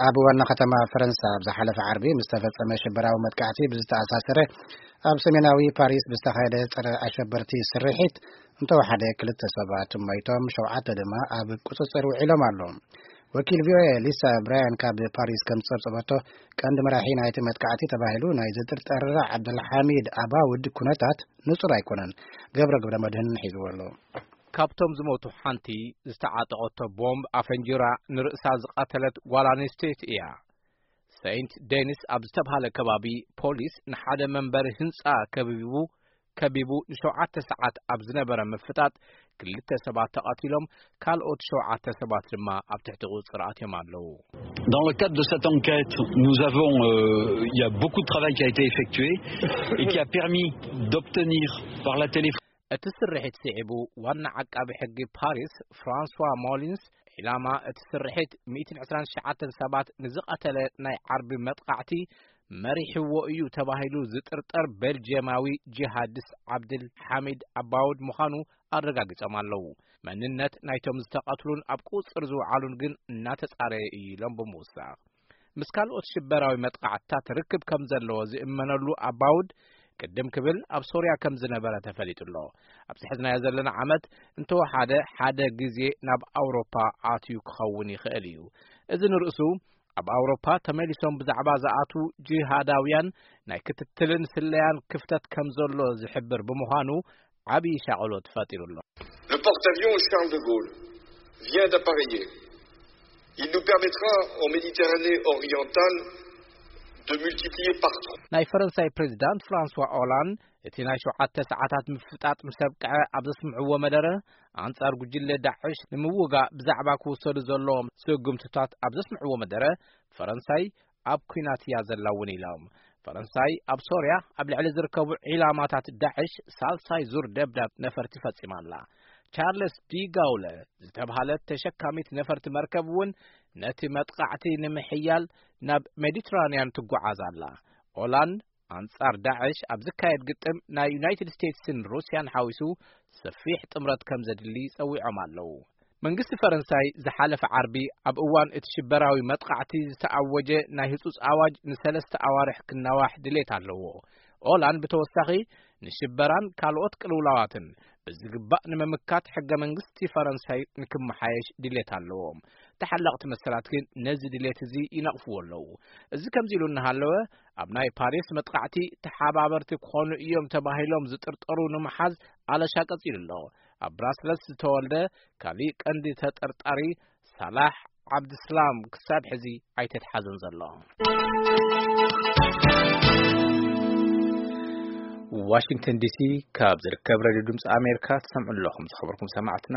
ኣብ ዋና ከተማ ፈረንሳ ኣብ ዝሓለፈ ዓርቢ ምስ ተፈጸመ ሽበራዊ መጥቃዕቲ ብዝተኣሳሰረ፣ ኣብ ሰሜናዊ ፓሪስ ብዝተኻየደ ጸረ ኣሸበርቲ ስርሒት እንተወሓደ ክልተ ሰባት ሞይቶም፣ ሸውዓተ ድማ ኣብ ቁጽጽር ውዒሎም ኣለዉ። ወኪል ቪኦኤ ሊሳ ብራያን ካብ ፓሪስ ከም ዝጸብጸበቶ፣ ቀንዲ መራሒ ናይቲ መጥቃዕቲ ተባሂሉ ናይ ዝጥርጠር ዓብደልሓሚድ ኣባውድ ኩነታት ንጹር ኣይኮነን። ገብረ ገብረ መድህን ሒዝዎ ኣሎ። ካብቶም ዝሞቱ ሓንቲ ዝተዓጠቐቶ ቦምብ ኣፈንጂራ ንርእሳ ዝቐተለት ጓል ኣንስተይቲ እያ። ሰይንት ዴኒስ ኣብ ዝተብሃለ ከባቢ ፖሊስ ንሓደ መንበሪ ህንጻ ከቢቡ ከቢቡ ንሸውዓተ ሰዓት ኣብ ዝነበረ ምፍጣጥ ክልተ ሰባት ተቐቲሎም፣ ካልኦት ሸውዓተ ሰባት ድማ ኣብ ትሕቲ ቁጽር ኣትዮም ኣለዉ። Dans le cadre de cette enquête, nous avons, euh, il y a beaucoup de travail qui a été effectué et qui a permis d'obtenir par la télé እቲ ስርሒት ስዒቡ ዋና ዓቃቢ ሕጊ ፓሪስ ፍራንስዋ ሞሊንስ፣ ዒላማ እቲ ስርሒት ሚእትን ዕስራን ትሽዓተን ሰባት ንዝቐተለ ናይ ዓርቢ መጥቃዕቲ መሪሕዎ እዩ ተባሂሉ ዝጥርጠር ቤልጅየማዊ ጂሃዲስት ዓብድል ሓሚድ ኣባውድ ምዃኑ ኣረጋጊጾም ኣለዉ። መንነት ናይቶም ዝተቐትሉን ኣብ ቁጽር ዝወዓሉን ግን እናተጻረየ እዩ ኢሎም ብምውሳኽ፣ ምስ ካልኦት ሽበራዊ መጥቃዕትታት ርክብ ከም ዘለዎ ዝእመነሉ ኣባውድ ቅድም ክብል ኣብ ሶርያ ከም ዝነበረ ተፈሊጡ ኣሎ። ኣብዚ ሕዝናዮ ዘለና ዓመት እንተወሓደ ሓደ ግዜ ናብ ኣውሮፓ ኣትዩ ክኸውን ይኽእል እዩ። እዚ ንርእሱ ኣብ ኣውሮፓ ተመሊሶም ብዛዕባ ዝኣትዉ ጂሃዳውያን ናይ ክትትልን ስለያን ክፍተት ከም ዘሎ ዝሕብር ብምዃኑ ዓብዪ ሻቕሎት ፈጢሩ ኣሎ። Le porte-avions Charles de Gaulle vient d'appareiller. Il nous permettra en Méditerranée orientale de multiplier par trois. ናይ ፈረንሳይ ፕሬዚዳንት ፍራንስዋ ኦላንድ እቲ ናይ ሸውዓተ ሰዓታት ምፍጣጥ ምስ ኣብቅዐ ኣብ ዘስምዕዎ መደረ፣ ኣንጻር ጉጅለ ዳዕሽ ንምውጋእ ብዛዕባ ክውሰዱ ዘለዎም ስጉምትታት ኣብ ዘስምዕዎ መደረ፣ ፈረንሳይ ኣብ ኲናት እያ ዘላ እውን ኢሎም። ፈረንሳይ ኣብ ሶርያ ኣብ ልዕሊ ዝርከቡ ዒላማታት ዳዕሽ ሳልሳይ ዙር ደብዳብ ነፈርቲ ፈጺማ ኣላ። ቻርለስ ዲ ጋውለ ዝተብሃለት ተሸካሚት ነፈርቲ መርከብ እውን ነቲ መጥቃዕቲ ንምሕያል ናብ ሜዲትራንያን ትጓዓዝ ኣላ። ኦላንድ ኣንጻር ዳዕሽ ኣብ ዝካየድ ግጥም ናይ ዩናይትድ ስቴትስን ሩስያን ሓዊሱ ሰፊሕ ጥምረት ከም ዘድሊ ጸዊዖም ኣለዉ። መንግስቲ ፈረንሳይ ዝሓለፈ ዓርቢ ኣብ እዋን እቲ ሽበራዊ መጥቃዕቲ ዝተኣወጀ ናይ ህጹጽ ኣዋጅ ንሰለስተ ኣዋርሕ ክናዋሕ ድሌት ኣለዎ። ኦላንድ ብተወሳኺ ንሽበራን ካልኦት ቅልውላዋትን ብዝግባእ ንምምካት ሕገ መንግስቲ ፈረንሳይ ንክመሓየሽ ድሌት ኣለዎም። ተሓለቕቲ መሰላት ግን ነዚ ድሌት እዚ ይነቕፍዎ ኣለዉ። እዚ ከምዚ ኢሉ እናሃለወ፣ ኣብ ናይ ፓሪስ መጥቃዕቲ ተሓባበርቲ ክኾኑ እዮም ተባሂሎም ዝጥርጠሩ ንምሓዝ ኣለሻ ቀጺሉ ኣሎ። ኣብ ብራስለስ ዝተወልደ ካሊእ ቀንዲ ተጠርጣሪ ሳላሕ ዓብድስላም ክሳብ ሕዚ ኣይተትሓዘን ዘሎ። ዋሽንግተን ዲሲ ካብ ዝርከብ ሬድዮ ድምፂ ኣሜሪካ ትሰምዑ ኣለኹም። ዝኸበርኩም ሰማዕትና፣